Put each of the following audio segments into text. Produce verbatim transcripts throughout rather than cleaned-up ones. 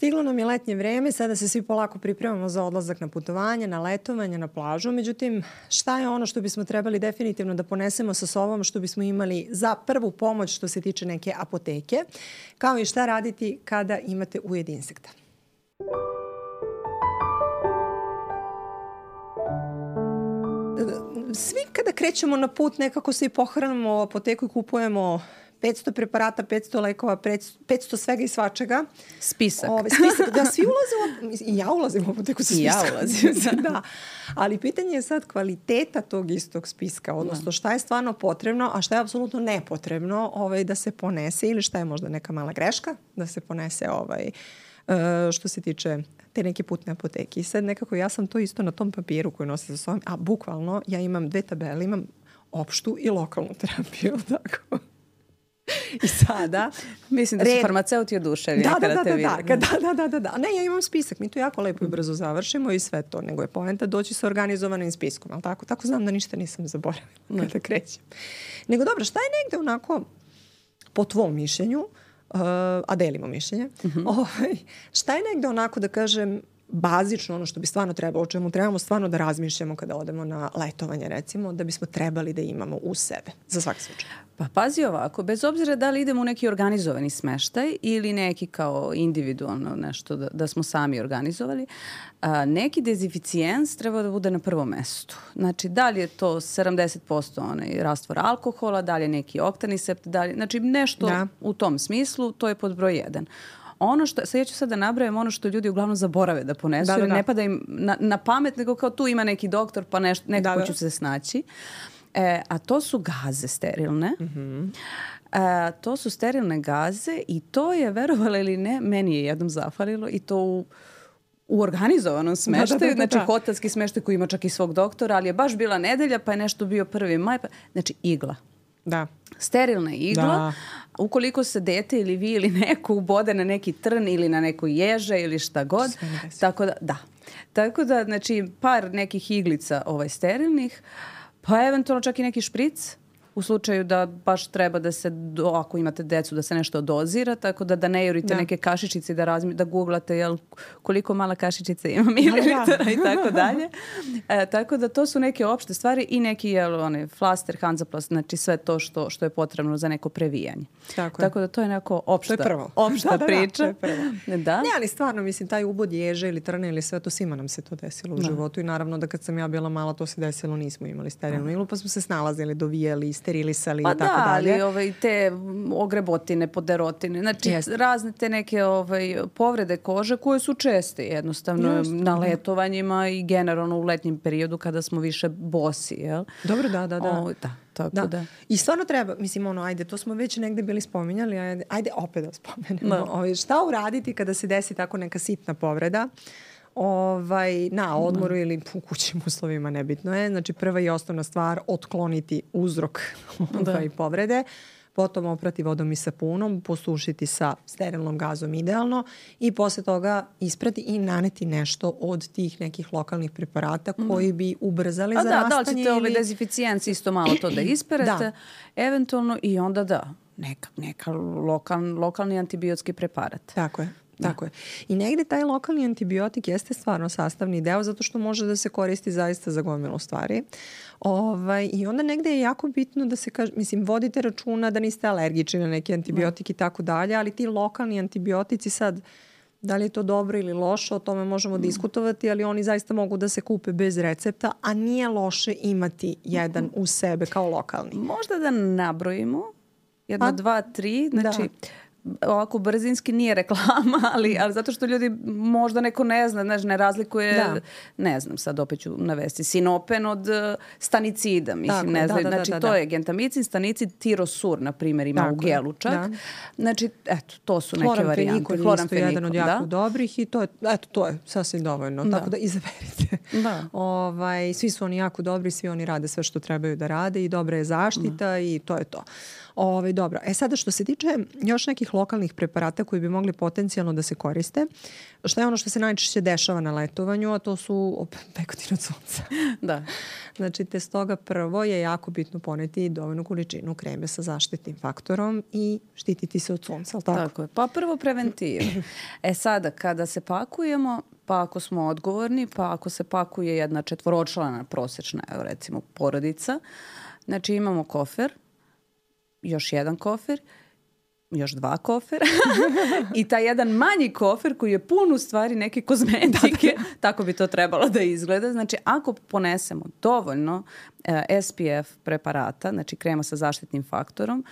Stiglo nam je letnje vreme, sada se svi polako pripremamo za odlazak na putovanje, na letovanje, na plažu. Međutim, šta je ono što bismo trebali definitivno da ponesemo sa sobom, što bismo imali za prvu pomoć što se tiče neke apoteke, kao i šta raditi kada imate ujed insekta? Svi kada krećemo na put nekako se i pohranimo u apoteku i kupujemo petsto preparata, petsto lekova, petsto svega i svačega. Spisak. Ove, spisak. Da, svi ulazimo, i ja ulazim u apoteku sa spiskom. I ja ulazim. Da. Ali pitanje je sad kvaliteta tog istog spiska, odnosno šta je stvarno potrebno, a šta je apsolutno nepotrebno ovaj, da se ponese ili šta je možda neka mala greška da se ponese ovaj, što se tiče te neke putne apoteke. I sad nekako ja sam to isto na tom papiru koji nosim sa sobom, a bukvalno ja imam dve tabele, imam opštu i lokalnu terapiju, tako. I sada... Mislim da su red... farmaceuti oduševljeni da, kada da, te da, vidi. Da, da, da, da, da. Ne, ja imam spisak. Mi to jako lepo i brzo završimo i sve to. Nego je poenta doći sa organizovanim spiskom. Ali tako, tako znam da ništa nisam zaboravila kada krećem. Nego dobro, šta je negde onako po tvom mišljenju, uh, a delimo mišljenje, uh-huh. ovaj, šta je negde onako da kažem bazično ono što bi stvarno trebalo, o čemu trebamo stvarno da razmišljamo kada odemo na letovanje recimo, da bismo trebali da imamo u sebe, za svaki slučaj? Pa pazi ovako, bez obzira da li idemo u neki organizovani smeštaj ili neki kao individualno nešto da, da smo sami organizovali, a, neki dezinficijens treba da bude na prvom mestu. Znači, da li je to sedamdeset posto onaj rastvor alkohola, da li je neki oktanisept, da li, znači nešto da. U tom smislu, to je pod broj jedan. Ono što, sad ja ću sad da nabrajam ono što ljudi uglavnom zaborave da ponesu, da, da, da. Jer ne pada im na, na pamet, nego kao tu ima neki doktor, pa nešto, nekako da, da. Ću se snaći. E, a to su gaze sterilne. Mm-hmm. E, to su sterilne gaze i to je, verovali ili ne, meni je jednom zafalilo i to u, u organizovanom smeštaju. Da, da, da, da. Znači hotelski smeštaj koji ima čak i svog doktora, ali je baš bila nedelja, pa je nešto bio prvi maj. Pa, znači igla. Da. Sterilna igla. Da. Ukoliko se dete ili vi ili neko ubode na neki trn ili na neku ježe ili šta god. Tako da, da. Tako da, znači, par nekih iglica ovaj, sterilnih, pa eventualno čak i neki špric u slučaju da baš treba da se, do, ako imate decu, da se nešto dozira, tako da da ne jurite da. Neke kašičice da, razmi, da googlate jel, koliko mala kašičica ima mililitara i tako dalje. E, tako da to su neke opšte stvari i neki jel, one, flaster, hanzaplast, znači sve to što, što je potrebno za neko previjanje. Tako, tako da to je neko opšta, to je prvo. opšta da, priča. Da, da, to je prvo. Da? Ne, ali stvarno, mislim, taj ubod ježe ili trne ili sve to, svima nam se to desilo u da. Životu i naravno da kad sam ja bila mala to se desilo, nismo imali sterilnu iglu, pa smo se snalazili, dovijali, sterilisali pa i tako da, dalje. Ali ovaj, te ogrebotine, poderotine, znači Jeste. Razne te neke ovaj, povrede kože koje su česte jednostavno Jeste. Na letovanjima i generalno u letnjem periodu kada smo više bosi, jel? Dobro, da, da, da. O, da. Tako da. da. I stvarno treba, mislim, ono, ajde, to smo već negde bili spominjali, ajde, ajde opet da spomenemo. Da. Ovaj, šta uraditi kada se desi tako neka sitna povreda? Ovaj, na odmoru mm. ili u kućnim uslovima, nebitno je. Znači, prva i osnovna stvar, otkloniti uzrok ovaj, povrede, potom oprati vodom i sapunom, posušiti sa sterilnom gazom idealno i posle toga isprati i naneti nešto od tih nekih lokalnih preparata mm. koji bi ubrzali A zarastanje. Da, da li ćete ili... ovaj dezinficijenci isto malo to da isperete, da. Eventualno i onda da, neka, neka lokal, lokalni antibiotski preparat. Tako je. Tako je. I negde taj lokalni antibiotik jeste stvarno sastavni deo zato što može da se koristi zaista za gomilu stvari. Ovaj, I onda negde je jako bitno da se kaže, mislim, vodite računa da niste alergični na neki antibiotik i tako dalje, ali ti lokalni antibiotici sad, da li je to dobro ili loše, o tome možemo mm. diskutovati, ali oni zaista mogu da se kupe bez recepta, a nije loše imati jedan u sebe kao lokalni. Možda da nabrojimo, jedno, pa, dva, tri, znači... Da. Ovako brzinski nije reklama, ali, ali zato što ljudi možda neko ne zna, znaš, ne razlikuje, da. Ne znam, sad opet ću navesti, sinopen od uh, stanicida, mislim, tako, ne znam, da, da, znači da, da, to da. Je gentamicin, stanicid, tirosur, na primjer, ima tako u gelu čak. Da. Znači, eto, to su neke varijante. Hloramfenikol je isto jedan od jako da? Dobrih i to je, eto, to je sasvim dovoljno, da. Tako da izaberite Da. Ovaj, svi su oni jako dobri, svi oni rade sve što trebaju da rade i dobra je zaštita da. I to je to. Ovaj, dobro. E sada što se tiče još nekih lokalnih preparata koji bi mogli potencijalno da se koriste, šta je ono što se najčešće dešava na letovanju, a to su pekotin od sunca. Da. Znači, te stoga prvo je jako bitno poneti dovoljnu količinu kreme sa zaštitnim faktorom i štititi se od sunca, ali tako? Tako je. Pa prvo preventivu. E sada, kada se pakujemo, pa ako smo odgovorni, pa ako se pakuje jedna četvoročlana prosječna, evo recimo, porodica, znači imamo kofer, još jedan kofer, još dva kofera i taj jedan manji kofer koji je pun u stvari neke kozmetike, tako bi to trebalo da izgleda. Znači, ako ponesemo dovoljno eh, S P F preparata, znači krema sa zaštitnim faktorom,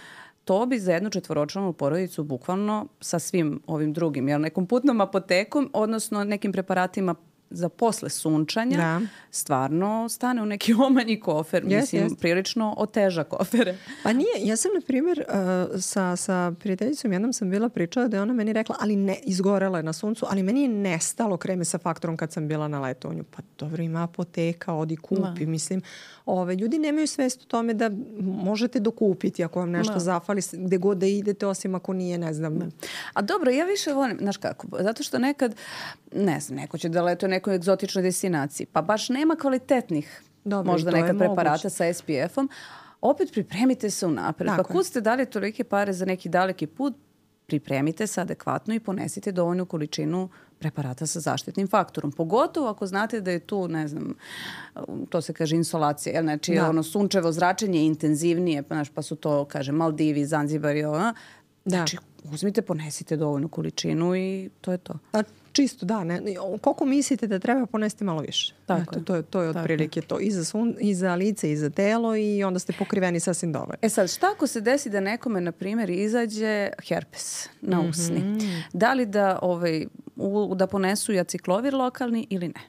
to bi za jednu četvoročlanu porodicu bukvalno sa svim ovim drugim, jel, nekom putnom apotekom, odnosno nekim preparatima za posle sunčanja, da. Stvarno stane u neki omanji kofer. Yes, Mislim, yes. prilično oteža kofere. Pa nije. Ja sam, na primjer, uh, sa, sa prijateljicom jednom sam bila pričala da je ona meni rekla, ali ne, izgorela je na suncu, ali meni je nestalo kreme sa faktorom kad sam bila na letovanju. Pa dobro, ima apoteka, odi kupi. Da. Mislim, ove, ljudi nemaju svest o tome da možete dokupiti ako vam nešto da. Zafali, gde god da idete, osim ako nije, ne znam. Da. A dobro, ja više volim, znaš kako, zato što nekad, ne znam, neko će da letuje nekoj egzotičnoj destinaciji, pa baš nema kvalitetnih Dobre, možda neka preparata moguće. Sa S P F-om, opet pripremite se unapred. Pa kud ste dali tolike pare za neki daleki put, pripremite se adekvatno i ponesite dovoljnu količinu preparata sa zaštitnim faktorom. Pogotovo ako znate da je tu, ne znam, to se kaže insolacija, znači da. Ono sunčevo zračenje intenzivnije, pa, znaš, pa su to, kaže, Maldivi, Zanzibar i ovo. Znači, da. Uzmite, ponesite dovoljnu količinu i to je to. A čisto, da. Ne, koliko mislite da treba ponesti malo više? Tako Eto, to je, to je otprilike to. I za, sun, I za lice, i za telo i onda ste pokriveni sasvim dovoljno. E sad, šta ako se desi da nekome, na primjer, izađe herpes na usni? Mm-hmm. Da li da, ovaj, u, da ponesu i aciklovir lokalni ili ne?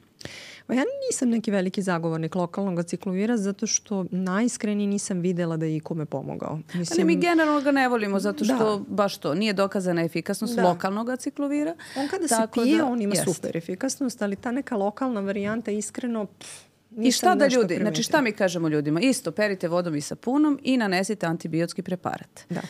Pa ja nisam neki veliki zagovornik lokalnog aciklovira zato što najiskrenije nisam videla da je ikome pomogao. Mislim, ali mi generalno ga ne volimo zato što da. Baš to nije dokazana efikasnost da. Lokalnog aciklovira. On kada se pije, da, on ima jest. Super efikasnost, ali ta neka lokalna varijanta iskreno... Pff, I šta da ljudi, primetila. Znači šta mi kažemo ljudima? Isto, perite vodom i sapunom i nanesite antibiotski preparat. Da.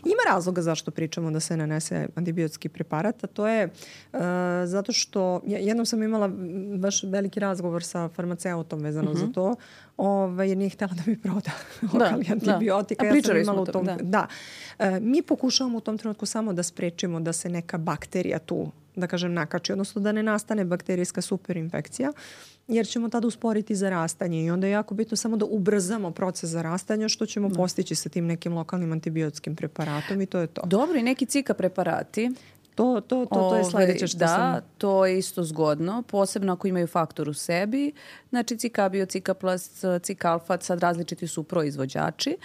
Ima razloga zašto pričamo da se nanese antibiotski preparat, a to je uh, zato što jednom sam imala baš veliki razgovor sa farmaceutom vezano uh-huh. za to, ovaj, jer nije htjela da mi proda lokalni antibiotika. Da. A pričali ja smo u tom, da. da. Uh, mi pokušavamo u tom trenutku samo da sprečimo da se neka bakterija tu, da kažem, nakači, odnosno da ne nastane bakterijska superinfekcija, jer ćemo tada usporiti zarastanje i onda je jako bitno samo da ubrzamo proces zarastanja, što ćemo no. postići sa tim nekim lokalnim antibiotskim preparatom i to je to. Dobro, i neki cika preparati. To, to, to, to je sledeće što da, sam... Da, to je isto zgodno, posebno ako imaju faktor u sebi. Znači cikabio, cikaplast, cikalfat, sad različiti su proizvođači.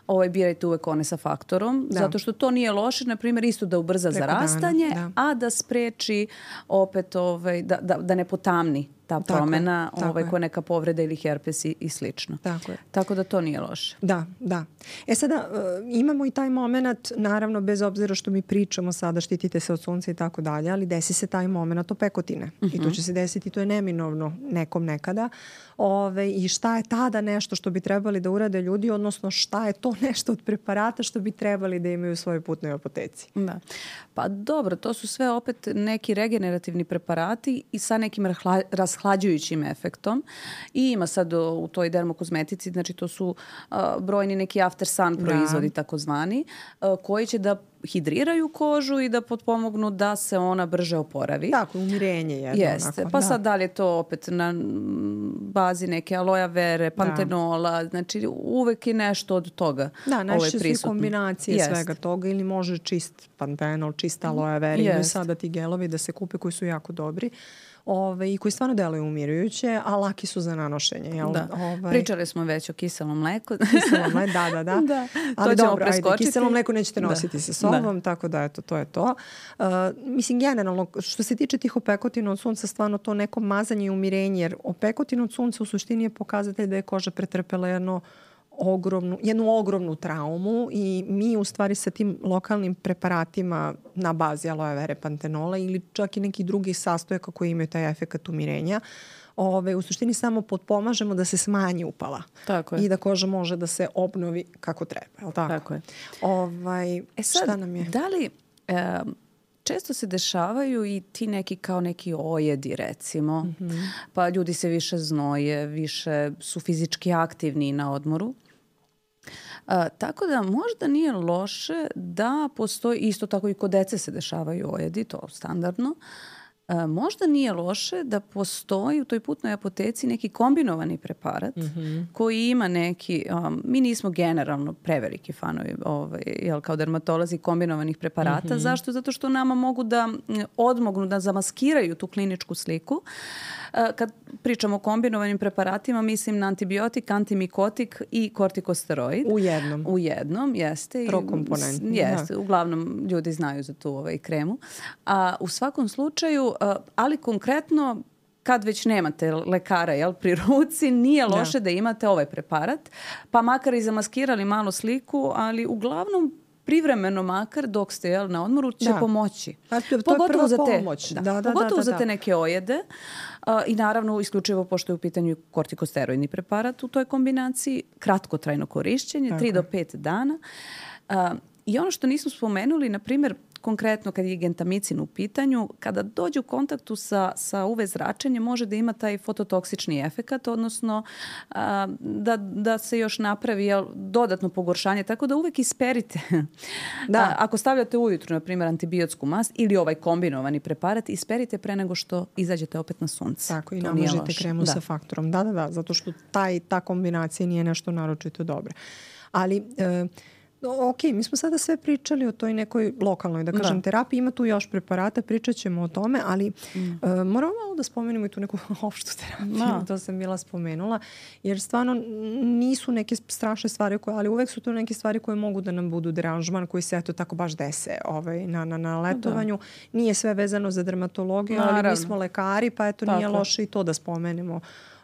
Ovaj, birajte uvek one sa faktorom, da. Zato što to nije loše, na primjer, isto da ubrza Preko zarastanje, dana, da. A da spreči opet, ovaj, da, da, da ne potamni ta tako promena, je, ovaj, koja neka povreda ili herpes i, i slično. Tako je. Tako da to nije loše. Da, da. E sada, uh, imamo i taj moment, naravno, bez obzira što mi pričamo sada, štitite se od sunca i tako dalje, ali desi se taj moment opekotine. Uh-huh. I to će se desiti, to je neminovno nekom nekada. Ove, I šta je tada nešto što bi trebali da urade ljudi, odnosno šta je to nešto od preparata što bi trebali da imaju u svojoj putnoj apoteci? Da. Pa dobro, to su sve opet neki regenerativni preparati i sa nekim rahla, rashlađujućim efektom. I ima sad u, u toj dermokozmetici, znači to su uh, brojni neki after sun proizvodi da. Takozvani, uh, koji će da hidriraju kožu i da potpomognu da se ona brže oporavi. Tako, umirenje jedno. Jeste. Onako, pa da. sad da li je to opet na bazi neke aloja vere, pantenola, da. Znači uvek je nešto od toga. Da, najčešće su i kombinacije Jest. Svega toga ili može čist pantenol, čista aloja vera. Ili sada ti gelovi da se kupe koji su jako dobri. Ove, i koji stvarno deluju umirujuće, a laki su za nanošenje. Jel? Da. Ove... Pričali smo već o kiselom mleku. Kiselo mleku, da, da, da. da. Ali to dobro, ajde, kiselo mleku nećete nositi da. Sa sobom, da. Tako da, eto, to je to. Uh, mislim, generalno, što se tiče tih opekotina od sunca, stvarno to neko mazanje i umirenje, jer opekotin od sunca u suštini je pokazatelj da je koža pretrpela jedno ogromnu, jednu ogromnu traumu i mi u stvari sa tim lokalnim preparatima na bazi aloe vere, pantenola ili čak i nekih drugih sastojaka koji imaju taj efekat umirenja, Ove, u suštini samo potpomažemo da se smanji upala. Tako je. I da koža može da se obnovi kako treba. Je li tako? Tako je. Ovaj, e sad, šta nam je? Da li... E, često se dešavaju i ti neki kao neki ojedi recimo, mm-hmm. pa ljudi se više znoje, više su fizički aktivni na odmoru. A, tako da možda nije loše da postoji, isto tako i kod dece se dešavaju ojedi, to standardno, a, možda nije loše da postoji u toj putnoj apoteci neki kombinovani preparat mm-hmm. koji ima neki, um, mi nismo generalno preveliki fanovi ovaj, jel, kao dermatolozi kombinovanih preparata. Mm-hmm. Zašto? Zato što nama mogu da odmognu, da zamaskiraju tu kliničku sliku. Kad pričamo o kombinovanim preparatima, mislim na antibiotik, antimikotik i kortikosteroid. U jednom. U jednom, jeste. Trokomponentni. Jeste, uglavnom ljudi znaju za tu ovaj, kremu. A u svakom slučaju, ali konkretno, kad već nemate lekara jel, pri ruci, nije loše da. da imate ovaj preparat, pa makar i zamaskirali malo sliku, ali uglavnom privremeno makar dok ste jel, na odmoru će da. pomoći. Pa, to pogotovo za te, pomoć. Da, da, da, pogotovo da, da, za da. te neke ojede uh, i naravno isključivo pošto je u pitanju kortikosteroidni preparat u toj kombinaciji, kratkotrajno korišćenje, tri do pet dana. Uh, I ono što nismo spomenuli, na primjer, konkretno kad je gentamicin u pitanju, kada dođe u kontaktu sa, sa U V zračenjem može da ima taj fototoksični efekat, odnosno a, da, da se još napravi jel, dodatno pogoršanje, tako da uvek isperite. Da. A, ako stavljate ujutru, na primjer, antibiotsku mast ili ovaj kombinovani preparat, isperite pre nego što izađete opet na sunce. Tako, i namažite kremu da. sa faktorom. Da, da, da, zato što taj, ta kombinacija nije nešto naročito dobra. Ali... E, ok, mi smo sada sve pričali o toj nekoj lokalnoj, da kažem, da. terapiji. Ima tu još preparata, pričat ćemo o tome, ali mm. uh, moramo malo da spomenemo i tu neku opštu terapiju. Da. To sam bila spomenula. Jer stvarno nisu neke strašne stvari, koje, ali uvek su to neke stvari koje mogu da nam budu deranžman, koji se eto tako baš dese ovaj, na, na, na letovanju. Da. Nije sve vezano za dermatologiju, Naravno. ali mi smo lekari, pa eto tako. Nije loše i to da spomenemo.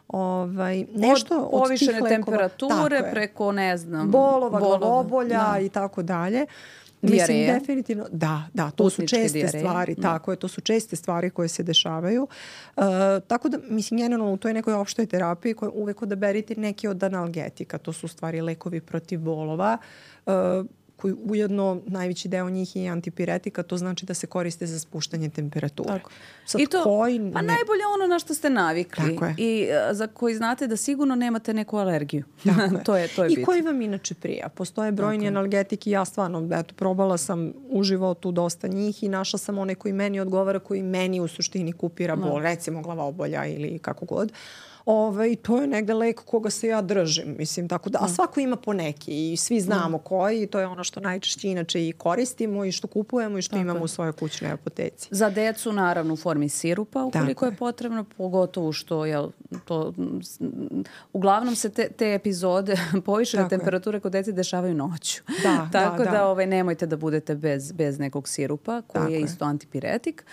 Ovaj, nešto od povišene od temperature preko, ne znam, bolova, glavobolja da. i tako dalje. Mislim, definitivno, da, da, to Putničke su česte dijareje. stvari, da. tako je, to su česte stvari koje se dešavaju. Uh, tako da, mislim, generalno u toj nekoj opštoj terapiji koja uvek odaberite neki od analgetika, to su stvari lekovi protiv bolova, uh, koji ujedno najveći deo njih je antipiretika, to znači da se koriste za spuštanje temperature. Tako. Sad, I to, koji pa ne... najbolje ono na što ste navikli i uh, za koji znate da sigurno nemate neku alergiju. to je, to je I bit. koji vam inače prija. Postoje brojni Tako. analgetiki, ja stvarno, eto, probala sam u životu dosta njih i našla sam one koji meni odgovara, koji meni u suštini kupira bol, no. recimo glavobolja ili kako god. Ove, to je negde lek koga se ja držim, mislim, tako da, a svako ima po neki i svi znamo mm. koji i to je ono što najčešće inače i koristimo i što kupujemo i što tako imamo je. u svojoj kućnoj apoteci. Za decu naravno u formi sirupa ukoliko tako je potrebno, pogotovo što jel, to, uglavnom se te, te epizode povišene temperature kod dece dešavaju noću. Da, tako da, da, da ovaj, nemojte da budete bez, bez nekog sirupa koji tako je isto je. antipiretik.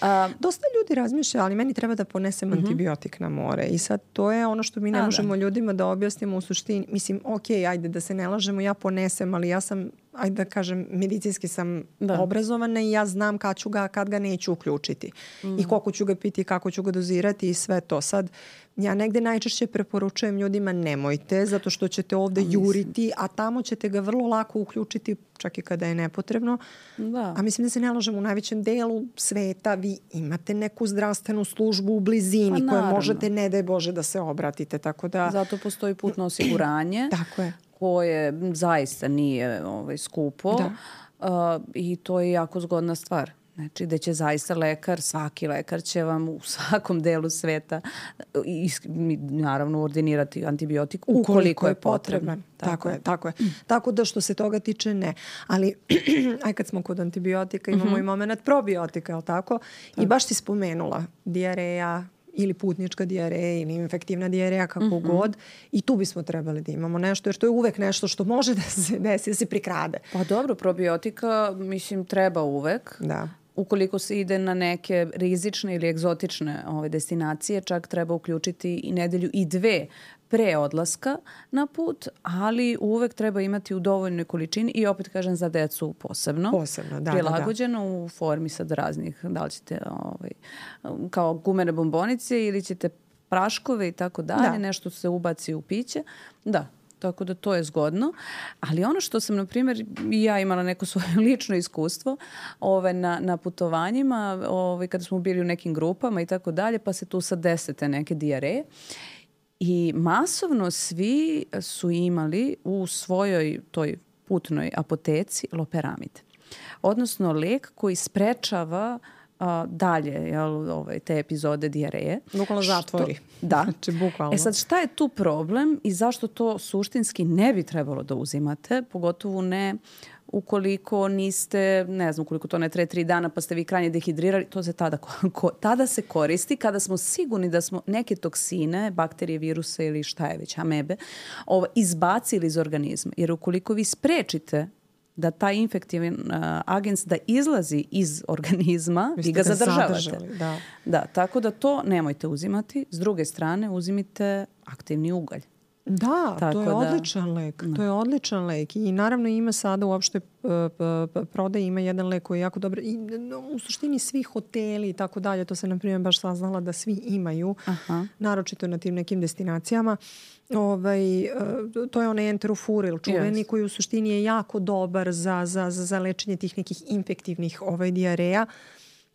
A, Dosta ljudi razmišlja, ali meni treba da ponesem mm-hmm. antibiotik na more i sad to je ono što mi ne A, možemo da. ljudima da objasnimo u suštini. Mislim, ok, ajde da se ne lažemo, ja ponesem, ali ja sam, ajde da kažem, medicinski sam da. obrazovana i ja znam kad ću ga, kad ga neću uključiti. Mm. I koliko ću ga piti, kako ću ga dozirati i sve to. Sad, ja negde najčešće preporučujem ljudima nemojte, zato što ćete ovde juriti, a tamo ćete ga vrlo lako uključiti, čak i kada je nepotrebno. Da. A mislim da se ne lažemo, u najvećem delu sveta vi imate neku zdravstvenu službu u blizini koju možete, ne daj Bože, da se obratite. Tako da... Zato postoji putno osiguranje. Tako je. Koje zaista nije ovaj, skupo uh, i to je jako zgodna stvar. Znači da će zaista lekar, svaki lekar će vam u svakom delu sveta i, naravno ordinirati antibiotik ukoliko, ukoliko je potreban. Tako, tako je, tako je. Mm. Tako da što se toga tiče ne. Ali aj kad smo kod antibiotika imamo mm-hmm. i moment probiotika, je li tako? tako? I baš ti spomenula dijareja, ili putnička dijareja ili infektivna dijareja, kako mm-hmm. god. I tu bismo trebali da imamo nešto, jer to je uvek nešto što može da se desi, da se prikrade. Pa dobro, probiotika, mislim, treba uvek. Da. Ukoliko se ide na neke rizične ili egzotične ove destinacije, čak treba uključiti i nedelju i dve pre odlaska na put, ali uvek treba imati u dovoljnoj količini i opet kažem za decu posebno. Posebno, da, prilagođeno da, da. u formi sad raznih, da li ćete ovaj, kao gumene bombonice ili ćete praškove i tako dalje, nešto se ubaci u piće. Da, tako da to je zgodno. Ali ono što sam, na primjer, i ja imala neko svoje lično iskustvo ove, na, na putovanjima, ove, kada smo bili u nekim grupama i tako dalje, pa se tu sad desete neke dijareje. I masovno svi su imali u svojoj toj putnoj apoteci loperamid. Odnosno lek koji sprečava a, dalje jel, ovaj, te epizode dijareje. Bukvalno zatvori. Da. Znači, bukvalno. E sad, šta je tu problem i zašto to suštinski ne bi trebalo da uzimate? Pogotovo ne ukoliko niste, ne znam, ukoliko to ne traje tri dana pa ste vi krajnje dehidrirali, to se tada, ko, tada se koristi kada smo sigurni da smo neke toksine, bakterije, viruse ili šta je već, amebe, ovo, izbacili iz organizma. Jer ukoliko vi sprečite da taj infektivan uh, agens da izlazi iz organizma, vi ga zadržavate. Da. Da, tako da to nemojte uzimati. S druge strane, uzimite aktivni ugalj. Da, tako to je da, odličan lek. Da. To je odličan lek. I naravno ima sada uopšte uh, prodaje, ima jedan lek koji je jako dobar. I u suštini svi hoteli i tako dalje, to se na primjer baš saznala da svi imaju, Aha. naročito na tim nekim destinacijama. Ovaj, uh, to je onaj enterofuril čuveni yes. koji u suštini je jako dobar za, za, za, za lečenje tih nekih infektivnih ovaj, dijareja.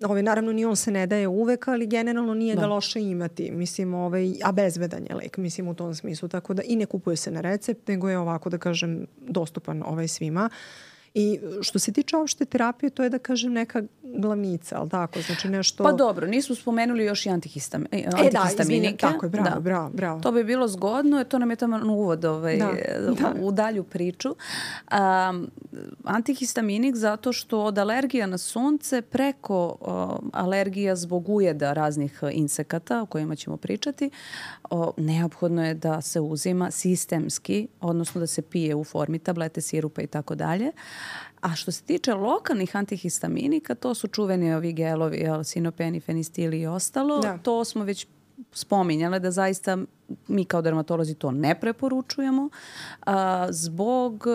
Ovaj, naravno, ni on se ne daje uvek, ali generalno nije da. ga loše imati. Mislim, ovaj, a bezbedan je lek, mislim, u tom smislu. Tako da i ne kupuje se na recept, nego je ovako, da kažem, dostupan ovaj svima. I što se tiče opšte terapije, to je, da kažem, neka glavnica, ali tako? Znači nešto... Pa dobro, nismo spomenuli još i antihistami, e, antihistaminike. Da, tako je, bravo, da. bravo, bravo. To bi bilo zgodno, to nam je tamo uvod ovaj, da, da. u dalju priču. Um, antihistaminik zato što od alergija na sunce preko uh, alergija zbog ujeda raznih insekata o kojima ćemo pričati, uh, neophodno je da se uzima sistemski, odnosno da se pije u formi tablete, sirupa i tako dalje. A što se tiče lokalnih antihistaminika, to su čuveni ovi gelovi, jel, sinopeni, fenistil i ostalo. Da. To smo već spominjale da zaista mi kao dermatolozi to ne preporučujemo a, zbog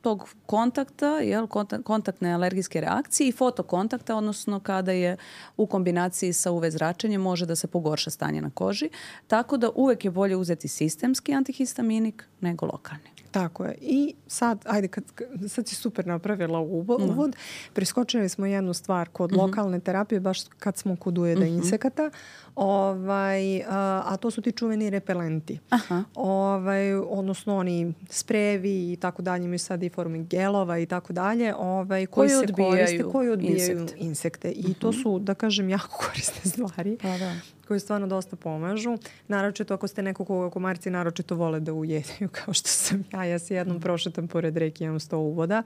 tog kontakta, jel, kontaktne alergijske reakcije i fotokontakta, odnosno kada je u kombinaciji sa U V zračenjem može da se pogorša stanje na koži. Tako da uvek je bolje uzeti sistemski antihistaminik nego lokalni. Tako je. I sad, ajde, kad, sad si super napravila uvod. Mm. Preskočili smo jednu stvar kod mm-hmm. lokalne terapije, baš kad smo kod ujeda mm-hmm. insekata, ovaj, a, a to su ti čuveni repelenti. Aha. Ovaj, odnosno oni sprejevi i tako dalje, imaju sad i formi gelova i tako dalje, ovaj, koji, koji se koriste, koji odbijaju insekte. insekte. I mm-hmm. to su, da kažem, jako korisne stvari. Pa da. Koji stvarno dosta pomažu. Naročito ako ste neko koga komarci naročito vole da ujedaju, kao što sam ja. Ja se jednom prošetam pored reke, imam sto uvoda,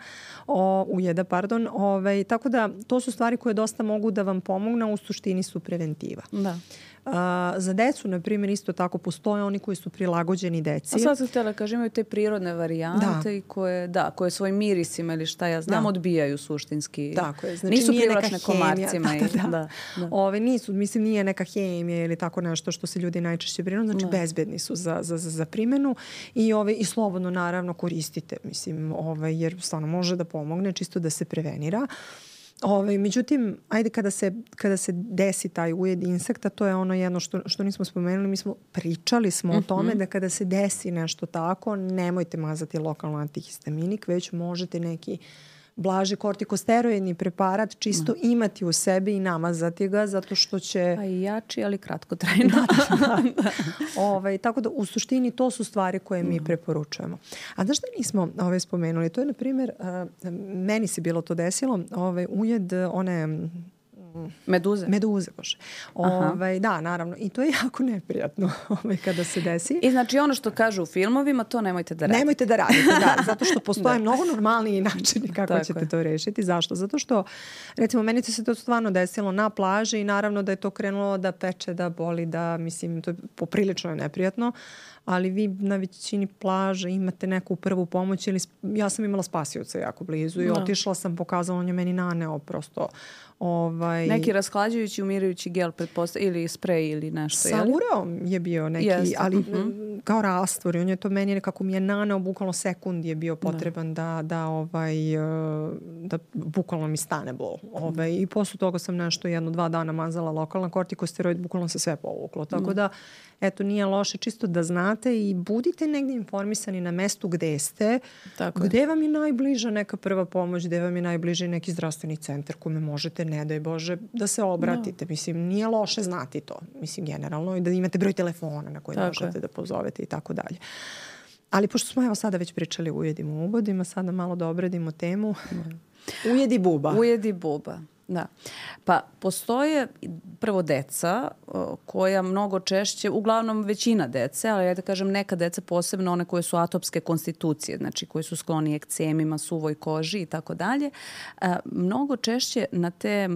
o, ujeda, pardon. Ove, tako da to su stvari koje dosta mogu da vam pomognu, a u suštini su preventiva. Da. A, za decu, na primjer, isto tako postoje oni koji su prilagođeni deci. A sad sam htjela kažem, imaju te prirodne varijante da. i koje, da, koje svojim mirisima ili šta ja znam, da. odbijaju suštinski. Tako je. Znači, nisu privlačne komarcima. Da, da, da. da, da. Ove, nisu, mislim, nije neka hemija ili tako nešto što se ljudi najčešće brinu. Znači, da. bezbedni su za, za, za, za primjenu i, ove, i slobodno, naravno, koristite. Mislim, ove, jer stvarno može da pomogne, čisto da se prevenira. Ove, međutim, ajde kada se, kada se desi taj ujed insekta, to je ono jedno što, što nismo spomenuli, mi smo pričali smo mm-hmm. o tome da kada se desi nešto tako, nemojte mazati lokalno antihistaminik, već možete neki blaži kortikosteroidni preparat čisto mm. imati u sebi i namazati ga zato što će... Pa i jači, ali kratkotrajno. da, da, da. Ovaj, tako da u suštini to su stvari koje mi mm. preporučujemo. A da što nismo ovaj, spomenuli? To je, na primjer, uh, meni se bilo to desilo, ovaj, ujed one... Meduze? Meduze, bože. Ovaj, da, naravno. I to je jako neprijatno ovaj, kada se desi. I znači ono što kažu u filmovima, to nemojte da radite. Nemojte da radite, da. Zato što postoje mnogo normalniji načini kako Tako ćete je. to rešiti. Zašto? Zato što, recimo, meni se to stvarno desilo na plaži i naravno da je to krenulo da peče, da boli, da, mislim, to je poprilično je neprijatno. Ali vi na većini plaža imate neku prvu pomoć ili ja sam imala spasioca jako blizu i no. otišla sam, pokazala, on je meni naneo prosto ovaj... neki rashlađujući, umirajući gel pretpostavlja ili sprej ili nešto. Sa ureom je bio neki, yes. ali uh-huh. kao rastvor i on je to meni nekako mi je naneo, bukvalno sekund je bio potreban da, da, da, ovaj, da bukvalno mi stane bol. Ovaj, I posle toga sam nešto jedno, dva dana mazala lokalna kortikosteroid, bukvalno se sve povuklo. Tako da, eto, nije loše čisto da znate i budite negdje informisani na mestu gde ste, tako gde je. Vam je najbliža neka prva pomoć, gde vam je najbliži neki zdravstveni centar kome možete, ne daj Bože, da se obratite. No. Mislim, nije loše znati to. Mislim, generalno, i da imate broj telefona na koji tako možete je. Da pozovete i tako dalje. Ali pošto smo evo sada već pričali o ujedima u ubodima, sada malo da obradimo temu. Ujedi buba. Ujedi buba. Da. Pa postoje prvo deca koja mnogo češće, uglavnom većina dece, ali ja da kažem neka deca posebno one koje su atopske konstitucije, znači koji su skloni ekcemima, suvoj koži i tako dalje, mnogo češće na te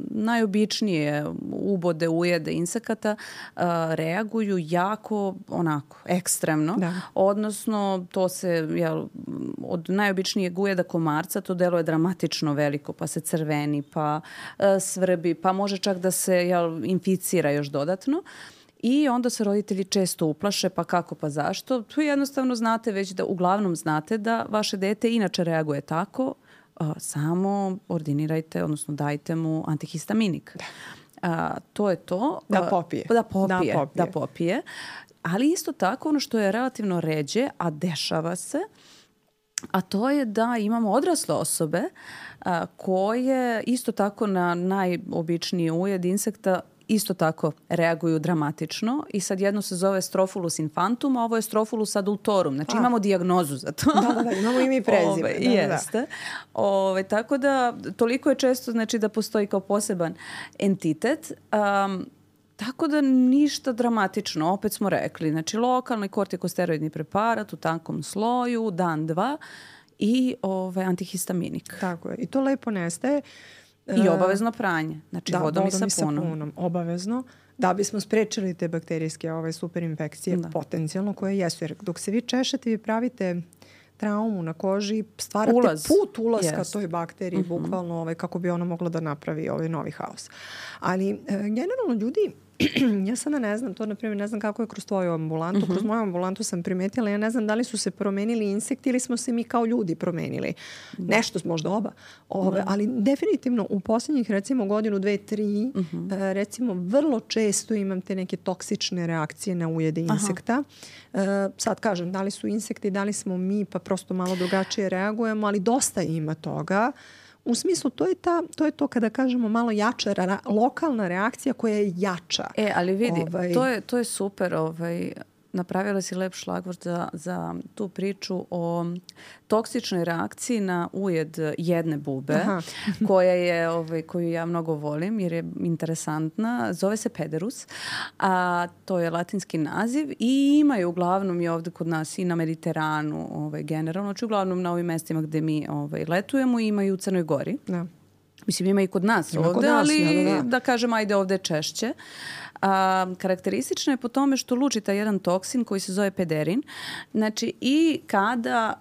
najobičnije ubode, ujede insekata reaguju jako onako ekstremno, da. Odnosno to se jel, od najobičnijeg ujeda komarca to deluje dramatično veliko, pa se crveni, pa svrbi, pa može čak da se jel, inficira još dodatno. I onda se roditelji često uplaše, pa kako, pa zašto? Tu jednostavno znate već da, uglavnom znate da vaše dete inače reaguje tako, a, samo ordinirajte, odnosno dajte mu antihistaminik. A, to je to. Da popije. Da popije. Da popije. Da popije. Ali isto tako ono što je relativno ređe, a dešava se, a to je da imamo odrasle osobe a, koje isto tako na najobičniji ujed insekta isto tako reaguju dramatično i sad jedno se zove Strophulus infantum, a ovo je Strophulus adultorum. Znači a. imamo dijagnozu za to. Da, da, da, imamo ime i prezime. Ove, da, jeste. Da. Ove, tako da toliko je često znači, da postoji kao poseban entitet. Um, Tako da ništa dramatično, opet smo rekli. Znači lokalni kortikosteroidni preparat u tankom sloju, dan, dva i ovaj, antihistaminik. Tako je. I to lepo nestaje. I obavezno pranje. Znači da, vodom, vodom i sapunom. sapunom. Obavezno. Da bismo sprečili te bakterijske ove superinfekcije da. Potencijalno koje jesu. Jer dok se vi češete, vi pravite traumu na koži, stvarate Ulaz. Put ulaska yes. toj bakteriji, uh-huh. bukvalno ovaj, kako bi ona mogla da napravi ovaj novi haos. Ali e, generalno ljudi, ja sada ne znam, to na primjer ne znam kako je kroz tvoju ambulantu, uh-huh. kroz moju ambulantu sam primetila, ja ne znam da li su se promenili insekti ili smo se mi kao ljudi promenili. Da. Nešto, možda oba. Ove, da. Ali definitivno u posljednjih recimo godinu, dve, tri, uh-huh. e, recimo vrlo često imam te neke toksične reakcije na ujede insekta. E, sad kažem, da li su insekti, da li smo mi, pa prosto malo drugačije reagujemo, ali dosta ima toga. U smislu, to je, ta, to je to kada kažemo malo jača, ra, lokalna reakcija koja je jača. E, ali vidi, ovaj... to, je, to je super. Ovaj, napravila si lep šlagvort za, za tu priču o toksičnoj reakciji na ujed jedne bube, koja je, ovaj, koju ja mnogo volim jer je interesantna. Zove se pederus, a to je latinski naziv i imaju uglavnom i ovdje kod nas i na Mediteranu ovaj, generalno, znači uglavnom na ovim mestima gde mi ovaj, letujemo imaju u Crnoj Gori. Da. Mislim, ima i kod nas ima ovdje, kod nas, ali da, da. da kažem, ajde ovdje češće. A, karakteristično je po tome što luči taj jedan toksin koji se zove pederin. Znači, i kada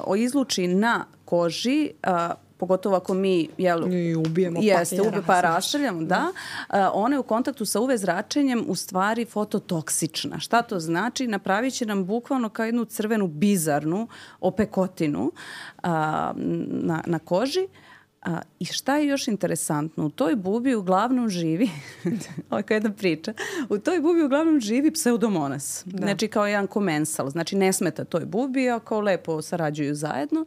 uh, izluči na koži, uh, pogotovo ako mi jel, I ubijemo jeste, pa, ubije, pa raštrljamo, da, uh, ona je u kontaktu sa U V zračenjem u stvari fototoksična. Šta to znači? Napravit će nam bukvalno kao jednu crvenu bizarnu opekotinu uh, na, na koži. A, I šta je još interesantno? U toj bubi uglavnom živi, ovo je kao jedna priča, u toj bubi uglavnom živi pseudomonas. Da. Znači kao jedan komensal. Znači ne smeta toj bubi, a kao lepo sarađuju zajedno.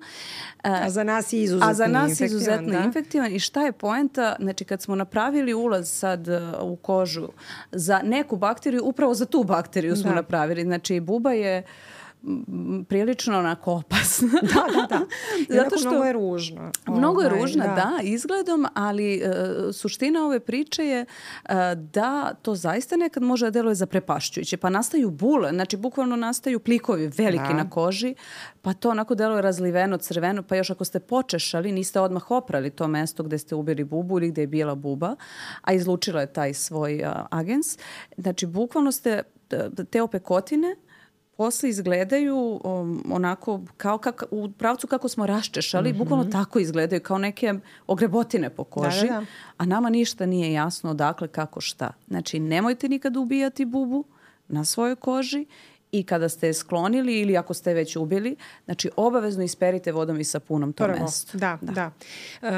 A, a za nas je izuzetno, a za nas infektivan, izuzetno da? infektivan. I šta je poenta? Znači kad smo napravili ulaz sad u kožu za neku bakteriju, upravo za tu bakteriju smo da. napravili. Znači buba je prilično onako opasna. Da, da, da. Zato što mnogo je ružna. Mnogo je ružna, da, da izgledom, ali uh, suština ove priče je uh, da to zaista nekad može da deluje zaprepašćujuće. Pa nastaju bule, znači bukvalno nastaju plikovi veliki da. na koži, pa to onako deluje razliveno, crveno, pa još ako ste počešali, niste odmah oprali to mesto gde ste ubili bubu ili gde je bila buba, a izlučila je taj svoj uh, agens. Znači bukvalno ste te opekotine posle izgledaju um, onako kao kak, u pravcu kako smo raščešali, mm-hmm. bukvalno tako izgledaju, kao neke ogrebotine po koži, da, da, da. A nama ništa nije jasno odakle, kako, šta. Znači, nemojte nikad ubijati bubu na svojoj koži i kada ste je sklonili ili ako ste je već ubili, znači obavezno isperite vodom i sapunom to Prvo, mesto. Da, da. da. Uh,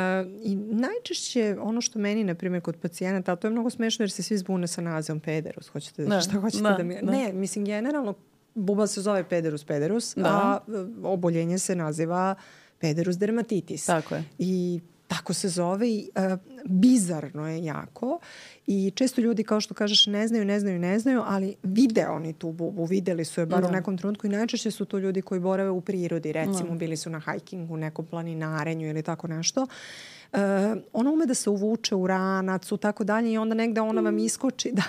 I najčešće ono što meni, na primjer, kod pacijenata, to je mnogo smešno jer se svi zbune sa nazivom pederus. Hoćete, da, šta hoćete da, da mi... Da. Ne, mislim, generalno buba se zove pederus pederus, da. a oboljenje se naziva pederus dermatitis. Tako je. I tako se zove i uh, bizarno je jako i često ljudi, kao što kažeš, ne znaju, ne znaju, ne znaju, ali vide oni tu bubu, videli su je bar da. u nekom trenutku i najčešće su to ljudi koji borave u prirodi, recimo da. bili su na hajkingu, nekom planinarenju ili tako nešto. Uh, ona ume da se uvuče u ranac u tako dalje i onda negde ona vam iskoči da,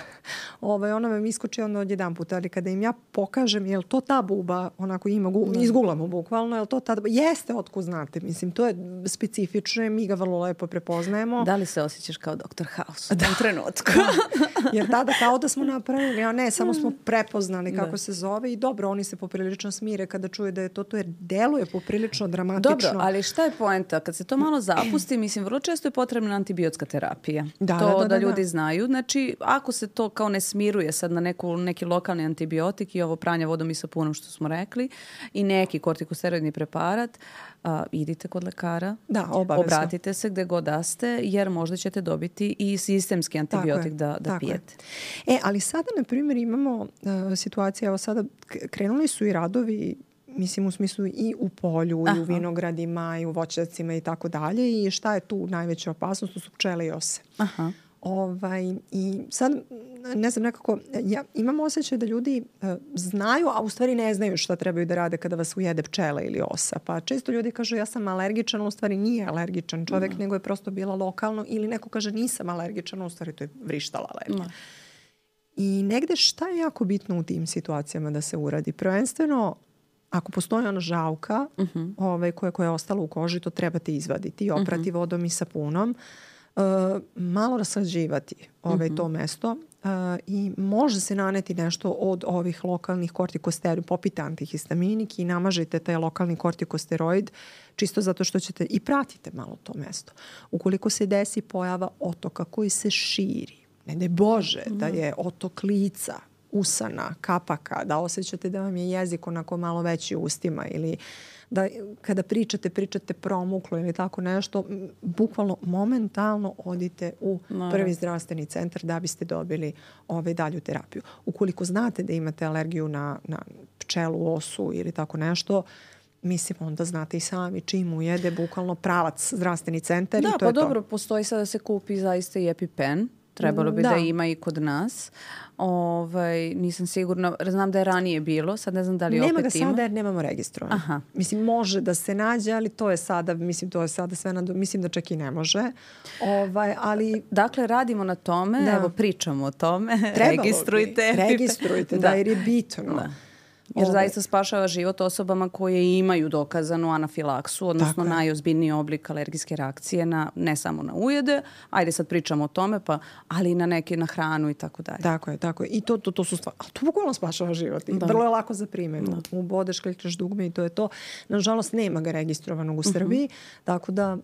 ovaj, ona vam iskoči onda od jedan put, ali kada im ja pokažem jel to ta buba, onako ima gu, izgulamo bukvalno, jel to ta buba, jeste otkud znate, mislim to je specifično, mi ga vrlo lepo prepoznajemo. Da li se osjećaš kao doktor House u tom trenutku? Da. Jer tada kao da smo napravili, a ne, samo smo prepoznali kako da. se zove i dobro, oni se poprilično smire kada čuju da je to to, jer deluje poprilično dramatično. Dobro, ali šta je poenta? Kad se to malo zapusti, mislim, vrlo često je potrebna antibiotska terapija. Da, to da, da, da, da ljudi da. znaju. Znači, ako se to kao ne smiruje sad na neku, neki lokalni antibiotik i ovo pranje vodom i sapunom što smo rekli i neki kortikosteroidni preparat, a, idite kod lekara. Da, obavezno. Obratite se gde god da ste, jer možda ćete dobiti i sistemski antibiotik da, da pijete. Je. E, ali sada, na primjer, imamo uh, situacije, evo sada krenuli su i radovi mislim u smislu i u polju, Aha. i u vinogradima, i u voćnjacima i tako dalje. I šta je tu najveća opasnost? To su pčele i ose. Aha. Ovaj, i sad, ne znam, nekako, ja imam osjećaj da ljudi uh, znaju, a u stvari ne znaju šta trebaju da rade kada vas ujede pčela ili osa. Pa često ljudi kažu ja sam alergičan, u stvari nije alergičan čovjek, mm. nego je prosto bila lokalno. Ili neko kaže nisam alergičan, u stvari to je vrištala alergija. Mm. I negde šta je jako bitno u tim situacijama da se uradi? Prvenstveno, ako postoji ona žauka uh-huh. ovaj, koja, koja je ostala u koži, to trebate izvaditi i oprati uh-huh. vodom i sapunom. Uh, malo raslađivati ovaj, uh-huh. to mesto uh, i može se naneti nešto od ovih lokalnih kortikosteroida, popite antihistaminik i namažite taj lokalni kortikosteroid čisto zato što ćete i pratite malo to mesto. Ukoliko se desi pojava otoka koji se širi, ne daj Bože uh-huh. da je otok lica, usana, kapaka, da osjećate da vam je jezik onako malo veći u ustima ili da kada pričate, pričate promuklo ili tako nešto, bukvalno momentalno odite u no. prvi zdravstveni centar da biste dobili ovaj dalju terapiju. Ukoliko znate da imate alergiju na, na pčelu, osu ili tako nešto, mislim, onda znate i sami čim ujede, bukvalno pravac zdravstveni centar da, i to pa je dobro, to. Postoji sada da se kupi zaista i EpiPen. Trebalo bi da. da ima i kod nas. Ovaj, nisam sigurna. Znam da je ranije bilo. Sad ne znam da li nema opet ima. Nema ga sada jer nemamo registrovano. Aha. Mislim, može da se nađe, ali to je sada, mislim, to je sada sve na, mislim da čak i ne može. Ovaj, ali... Dakle, radimo na tome, da. evo, pričamo o tome. Trebalo registrujte. Bi. Registrujte, da, da, jer je bitno. Da. Jer Ove. zaista spašava život osobama koje imaju dokazanu anafilaksu, odnosno najozbiljniji oblik alergijske reakcije na, ne samo na ujede, ajde sad pričamo o tome, pa, ali i na neke, na hranu i tako dalje. Tako je, tako je. I to, to, to su stvari, ali to bukvalno spašava život. I da. vrlo je lako za primjenu. Da. Ubodeš, klikneš dugme i to je to. Nažalost, nema ga registrovanog u Srbiji, uh-huh. tako da...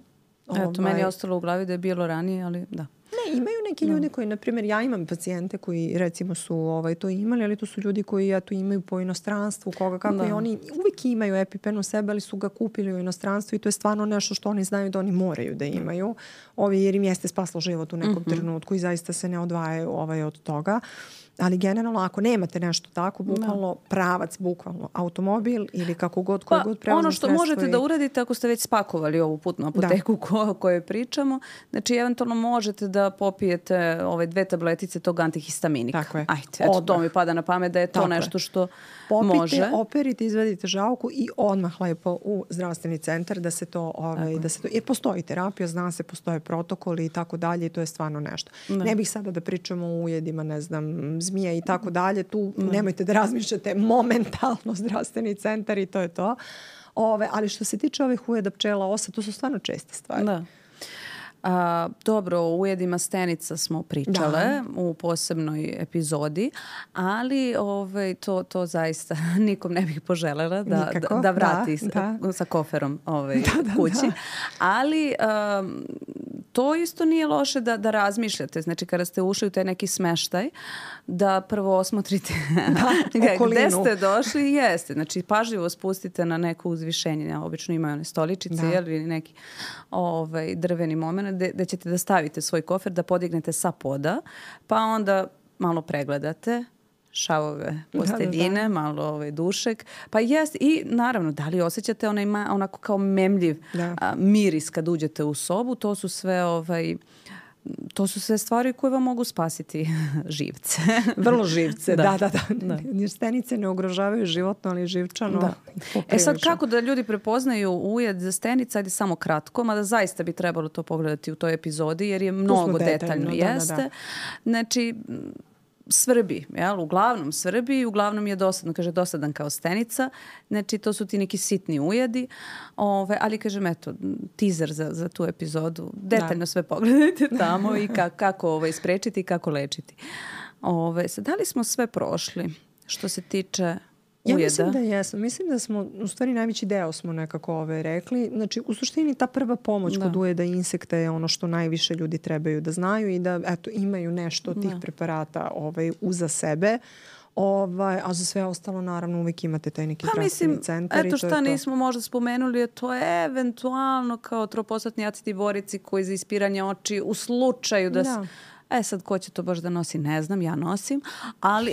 Ovaj... Eto, meni je ostalo u glavi da je bilo ranije, ali da. Ne, imaju neki ljudi koji, na primjer, ja imam pacijente koji recimo su ovaj, to imali, ali to su ljudi koji ja to imaju po inostranstvu, koga kako da. i oni uvijek imaju EpiPen u sebe, ali su ga kupili u inostranstvu i to je stvarno nešto što oni znaju da oni moraju da imaju, ovi, jer im jeste spaslo život u nekom mm-hmm. trenutku i zaista se ne odvajaju ovaj, od toga. Ali generalno, ako nemate nešto tako, bukvalno no. pravac, bukvalno automobil ili kako god, koji pa, god prevozno ono što možete i... da uradite ako ste već spakovali ovu putnu apoteku ko, o kojoj pričamo, znači eventualno možete da popijete ove dve tabletice tog antihistaminika. Tako je. Ajde, eto, to mi pada na pamet da je to tako nešto što popite, može. Popite, operite, izvedite žauku i odmah lepo u zdravstveni centar da se to, ovaj, da se to, jer postoji terapija, zna se, postoje protokoli i tako dalje i to je stvarno nešto. Da. Ne bih sada da pričamo o ujedima, ne znam, zmija i tako dalje, tu ne. nemojte da razmišljate, momentalno zdravstveni centar i to je to. Ove, ali što se tiče ovih ujeda pčela, osa, to su stvarno česte stvari. Da. A, dobro, o ujedima stenica smo pričale da. u posebnoj epizodi, ali ovaj, to, to zaista nikom ne bih poželela da, da, da vrati da, da. sa koferom ovaj, da, da, kući. Da. Ali um, to isto nije loše da, da razmišljate. Znači, kada ste ušli u taj neki smeštaj, da prvo osmotrite da, gde ste došli. Jeste. Znači, pažljivo spustite na neko uzvišenje. Ja, obično imaju one stoličice, da. Jel, ili neki ovaj, drveni moment gde ćete da stavite svoj kofer, da podignete sa poda, pa onda malo pregledate šavove posteljine, da, da, da. malo ovaj, dušek. Pa jest, i naravno, da li osjećate onaj ma, onako kao memljiv a, miris kad uđete u sobu, to su sve ovaj, to su sve stvari koje vam mogu spasiti živce. Vrlo živce, da, da, da. da. da. Stenice ne ugrožavaju životno, ali živčano. Da. E sad, kako da ljudi prepoznaju ujed za stenica, ajde samo kratko, mada zaista bi trebalo to pogledati u toj epizodi, jer je mnogo detaljno, detaljno jeste. Da, da, da. Znači, svrbi, jel? Uglavnom svrbi, uglavnom je dosadno, kaže dosadan kao stenica, znači to su ti neki sitni ujedi, ove, ali kažem eto, teaser za, za tu epizodu, detaljno da. Sve pogledajte tamo i ka, kako ovaj, sprečiti i kako lečiti. Ove, sad, da li smo sve prošli što se tiče ujeda? Ja mislim da jesmo. Mislim da smo, u stvari najveći deo smo nekako ove rekli. Znači, u suštini ta prva pomoć da. Kod ujeda insekta je ono što najviše ljudi trebaju da znaju i da eto, imaju nešto od tih da. Preparata ovaj, uza sebe. Ovaj, a za sve ostalo naravno uvijek imate taj neki zdravstveni centar. Eto šta nismo možda spomenuli, je to je eventualno kao troposatni acidi borici koji za ispiranje oči u slučaju da... da. E sad, ko će to baš da nosi, ne znam, ja nosim, ali,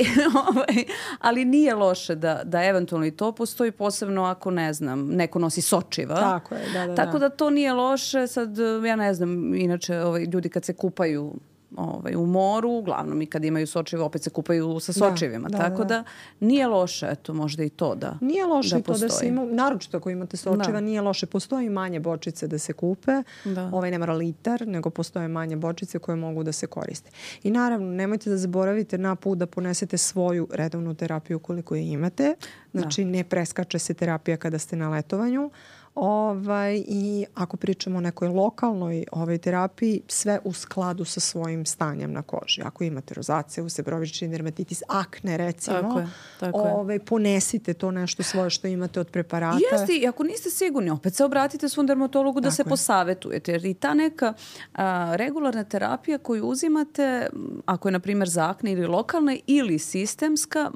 ovaj, ali nije loše da, da eventualno i to postoji, posebno ako, ne znam, neko nosi sočiva. Tako je, da, da, Tako da. da to nije loše. Sad, ja ne znam, inače, ovaj, ljudi kad se kupaju ovaj, u moru, uglavnom i kad imaju sočive, opet se kupaju sa sočivima. Da, da, tako da. Da nije loše, eto, možda i to da Nije loše da to da se ima, naročito ako imate sočiva, da. Nije loše. Postoji manje bočice da se kupe, da. Ovaj ne mora litar, nego postoje manje bočice koje mogu da se koriste. I naravno, nemojte da zaboravite na put da ponesete svoju redovnu terapiju koliko je imate. Znači, da. Ne preskače se terapija kada ste na letovanju. Ovaj, i ako pričamo o nekoj lokalnoj ovaj, terapiji, sve u skladu sa svojim stanjem na koži. Ako imate rozaceu, sebrovični dermatitis, akne recimo, tako je, tako ovaj, ponesite to nešto svoje što imate od preparata. Jeste, i ako niste sigurni, opet se obratite svom dermatologu da tako se je. Posavetujete. Jer i ta neka a, regularna terapija koju uzimate, ako je na primjer za akne ili lokalna ili sistemska,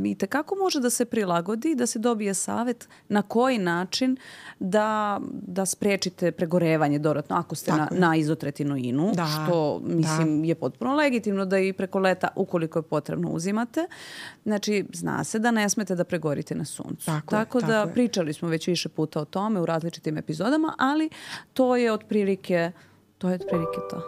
i tekako može da se prilagodi, da se dobije savet na koji način da, da sprečite pregorevanje dodatno ako ste na, na izotretinoinu, da, što mislim da. Je potpuno legitimno da i preko leta, ukoliko je potrebno, uzimate. Znači, zna se da ne smete da pregorite na suncu. Tako, tako je, da tako pričali smo već više puta o tome u različitim epizodama, ali to je otprilike, to je otprilike to.